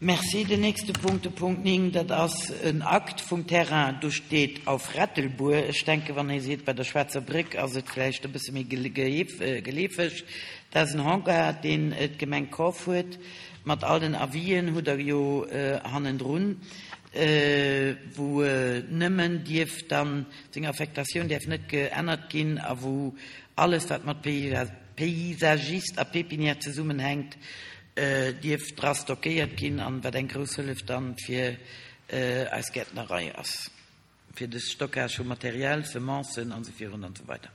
Merci. Den nächste Punkt, de Punkt 9, dat ass en Akt vum Terrain, do steet auf Rettelbuer. Ech denken, wann ee seet bei der Schwaarzer Bréck, ass et vläicht e bësse méi geleefeg. Dat ass en Hangar, deen d'Gemeng kaf huet, mat all den Avisen, hutt Der jo hannendrun, wou nëmmen dierf dann, seng Affektatioun däerf net geännert ginn a wou alles, wat mat Paysagiste a Pépinière zesummenhänkt, dierf dra stockéiert ginn an wat eng grouss Hëllef dann fir eis Gäertnerei ass, fir de Stockage vu Material, Semencen an esou virun an esou weider.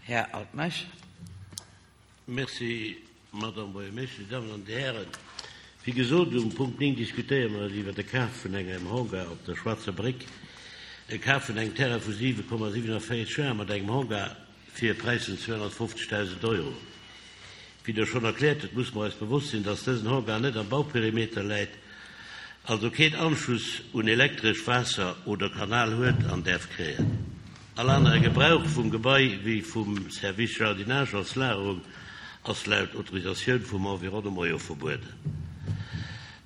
Här Altmeisch. Merci, Madame Buergermeeschtesch, Dir Dammen an Dir Hären. Wéi gesot, um Punkt 9 diskutéiere mer iwwert de Kaf vun engem Hangar op der Schwaarzer Bréck, e Kaf vun engem Terrain vu 7,47 Ar mat engem Hangar fir e Präis vun 250.000 Euro. Wéi Der schonn erkläert hutt, musse mer eis bewosst sinn, dass dësen Hangar net am Bauperimeter läit, also keen Anschluss un Elektresch, Waasser oder Kanal huet an däerf kréien. All anere Gebrauch vum Gebai, wéi vum Service Jardinage als Lagerung, ass laut Autorisatioun vum Environnement jo verbueden.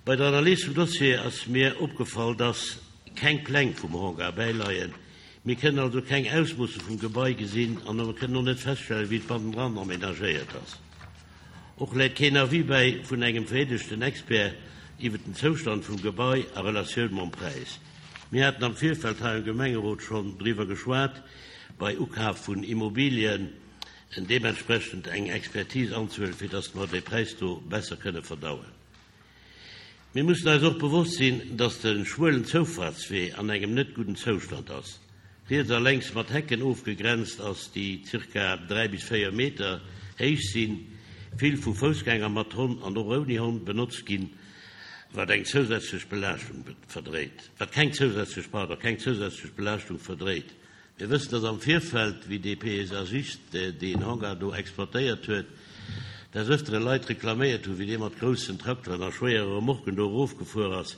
Bei der Analys vum Dossier ass mir opgefall, dass keng Pläng vum Hangar bäileien. Mir kënnen also keng Ausmoosse vum Gebai gesinn an mer kënnen och net feststellen, wéi et bannendran amenagéiert ass. Och läit keen Avis bäi vun engem vereedegten Expert iwwert den Zoustand vum Gebai a Relatioun mam Präis. Mir haten am Virfeld hei am Gemengerot schonn driwwer geschwat, bei Ukaf vun Immobilien deementsprechend eng Expertise anzehuelen, fir datt mer dee Präis do besser kënne verdauen. Mir mussen eis och bewosst sinn, dass de schmuelen Zoufahrtswee an engem net gudden Zoustand ass, riets a lenks mat Hecken ofgegrenzt ass, déi zirka 3 bis 4 Meter héich sinn, vill vu Foussgänger mat Honn an och ouni Honn benotzt ginn, wat eng zousätzlech Belaaschtung verdréit, wat keng zousätzlech, pardon, keng zousätzlech Belaaschtung verdréit. Mir wëssen, dass am Virfeld, wéi dee Paysagiste deen Hangar do exploitéiert huet, des Öfteren Leit reklaméiert hunn, wéi dee mat groussen Trakteren a schwéiere Remorquen do erofgefuer ass.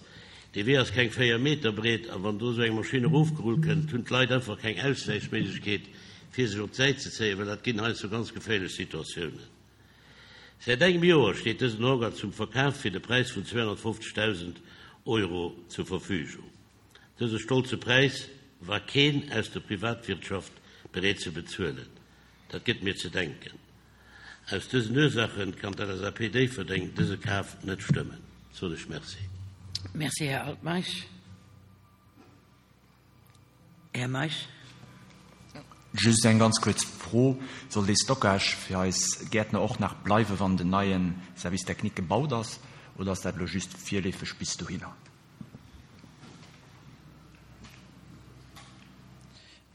Dee Wee ass keng 4 Meter breet a wann do esou eng Maschinn erofgerullt kënnt, hunn d'Leit einfach keng Auswäichméiglechkeet, fir sech op d'Säit ze zéien, well dat ginn heiansdo ganz geféierlech Situatiounen. Säit engem Joer steet dësen Hangar zum Verkaf fir de Präis vun 250.000 Euro zur Verfügung. Dëse stolze Präis war keen aus der Privatwirtschaft bereet ze bezuelen. Dat gëtt mir ze denken. Aus dësen Ursaachen kann d'LSAP Déifferdeng dëse Kaf net stëmmen. Soen ech Merci. Merci, Här Altmeisch. Här Meisch. Just eng ganz kuerz Fro, Soll dee Stockage fir eis Gäertner och nach bleiwen, wann den neie Service technique gebaut ass, oder ass dat elo just virleefeg bis dohinner?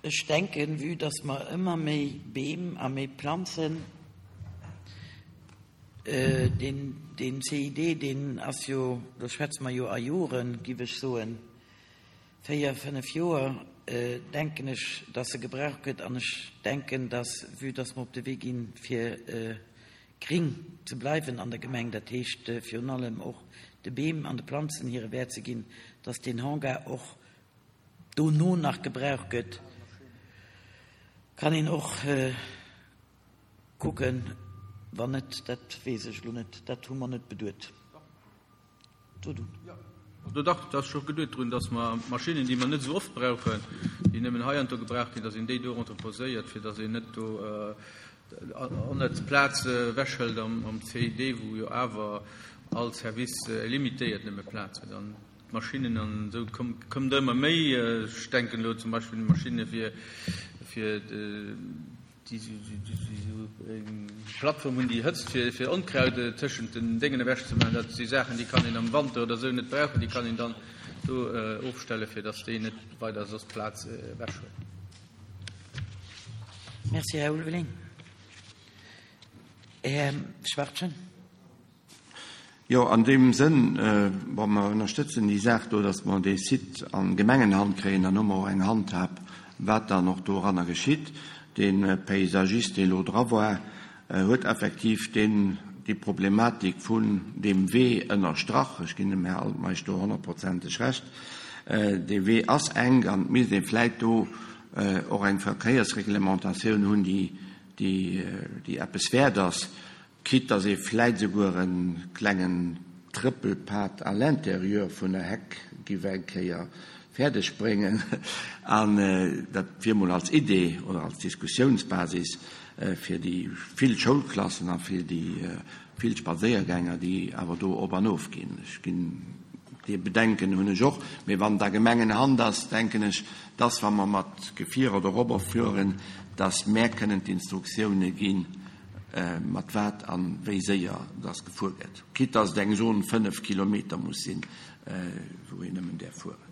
Ech denken, vue dass mer ëmmer méi Beem a méi Planzen, deen, deen CID, deen ass jo, do schwätze mer jo a Joren, giff ech soen, véier, fënnef Joer, denken ech, dass e gebraucht gëtt. An ech denken, dass, vue dass mer op de Wee ginn, fir Gring ze bleiwen an der Gemeng, dat heescht virun allem och de Beem an de Planzen hire Wäert ze ginn, dass deen Hangar och dono nach gebraucht gëtt, kann een och kucken. Wann net, dat weess ech elo net, dat hu mer net beduet. Do dach, et ass scho geduet drun, dass mer Maschinnen, déi mer net esou oft brauchen, déi nëmmen heiansdo gebraucht ginn, dass een déi do entreposéiert, fir dass een net do onnëtz Plaz ewechhëlt am CID, wou jo awer all Service limitéiert nëmme Plaz huet. An d'Maschinnen an esou kommen der ëmmer méi. Ech denken elo zum Beispill un Maschinne fir déi esou eng Plattform hunn, déi hëtzt, fir Onkraut tëschent den Déngen ewechzemaachen. Dat si Saachen, déi kann een am Wanter oder esou net brauchen. Déi kann een dann do ofstellen, fir datt déi net weider soss Plaz ewechhuelen. Merci, Här Ulveling. Här Schwachtgen. Jo, an deem Sënn, bon, mer ënnerstëtzen déi Saach do, datt mer dee Site an Gemengenhand kréien, dann hu mer och eng Handhab, wat dann och doranner geschitt. Dee Paysagiste, dee elo dra war, huet effektiv deen, déi Problematik vun deem Wee ënnerstrach. Ech ginn dem Här Altmeisch do honnertprozenteg Recht. Dee Wee ass enk an et misst ee vläit do och eng Verkéiersreglementatioun hunn, déi, déi eppes wäert ass. Quitte dass ee vläit esouguer e klengen Trëppelpad à l'intérieur vun der Heck giff eng Kéier fäerdeg bréngen. An dat wier mol als Idee oder als Diskussiounsbasis fir déi vill Schoulklassen a fir déi vill Spadséiergänger, déi awer do op an of ginn. Ech ginn, dee Bedenken hunn ech och. Mee wann et a Gemengenhand ass, denken ech, dass, wa mer mat Gefierer dorobber fueren, dass mär kënnen d'Instruktioune ginn, mat wat a wéi séier dass gefuer gëtt, quitte dass et eng Zone 5 Kilometer muss sinn, wou een nëmmen däerf fueren.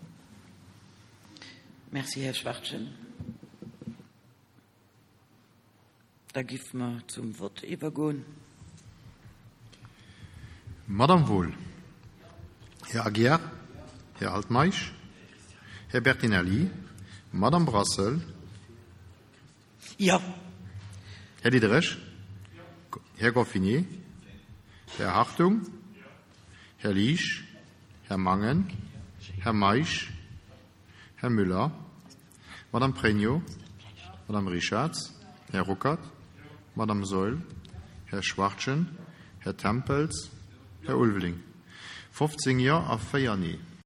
Merci, Här Schwachtgen. Da giff mer zum Vott iwwergoen. Madame Wohl, Här Aguiar, Här Altmeisch, Här Bertinelli, Madame Brassel, Jo. Här Diderich, Här Goffinet, Här Hartung, Här Liesch, Här Mangen, Här Meisch, Här Müller, Madame Pregno, Madame Richarz, Här Ruckert, Madame Saeul, Här Schwachtgen, Här Tempels, Här Ulveling. 15 Jo a 4 Nee.